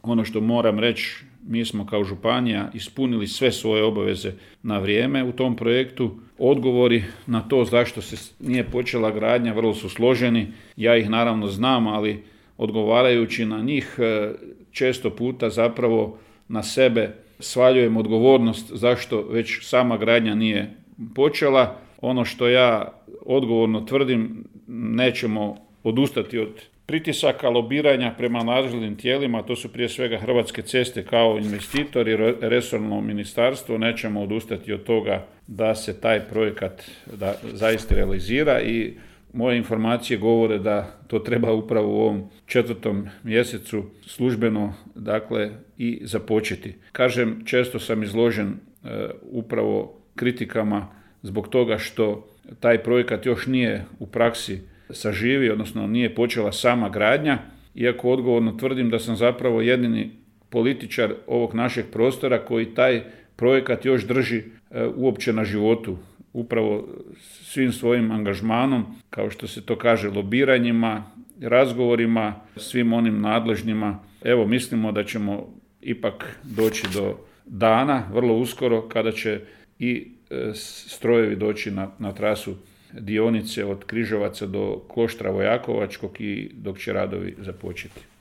Ono što moram reći, mi smo kao županija ispunili sve svoje obaveze na vrijeme u tom projektu. Odgovori na to zašto se nije počela gradnja vrlo su složeni. Ja ih naravno znam, ali odgovarajući na njih često puta zapravo na sebe svaljujem odgovornost zašto već sama gradnja nije počela. Ono što ja odgovorno tvrdim, nećemo odustati od pritisaka, lobiranja prema nadležnim tijelima, to su prije svega Hrvatske ceste kao investitor i resorno ministarstvo, nećemo odustati od toga da se taj projekat zaista realizira i moje informacije govore da to treba upravo u ovom 4. mjesecu službeno i započeti. Kažem, često sam izložen upravo kritikama zbog toga što taj projekat još nije u praksi saživi, odnosno nije počela sama gradnja, iako odgovorno tvrdim da sam zapravo jedini političar ovog našeg prostora koji taj projekat još drži uopće na životu, upravo svim svojim angažmanom, kao što se to kaže, lobiranjima, razgovorima, svim onim nadležnjima. Evo, mislimo da ćemo ipak doći do dana, vrlo uskoro, kada će i strojevi doći na trasu dionice od Križevaca do Kloštra Vojakovačkog i dok će radovi započeti.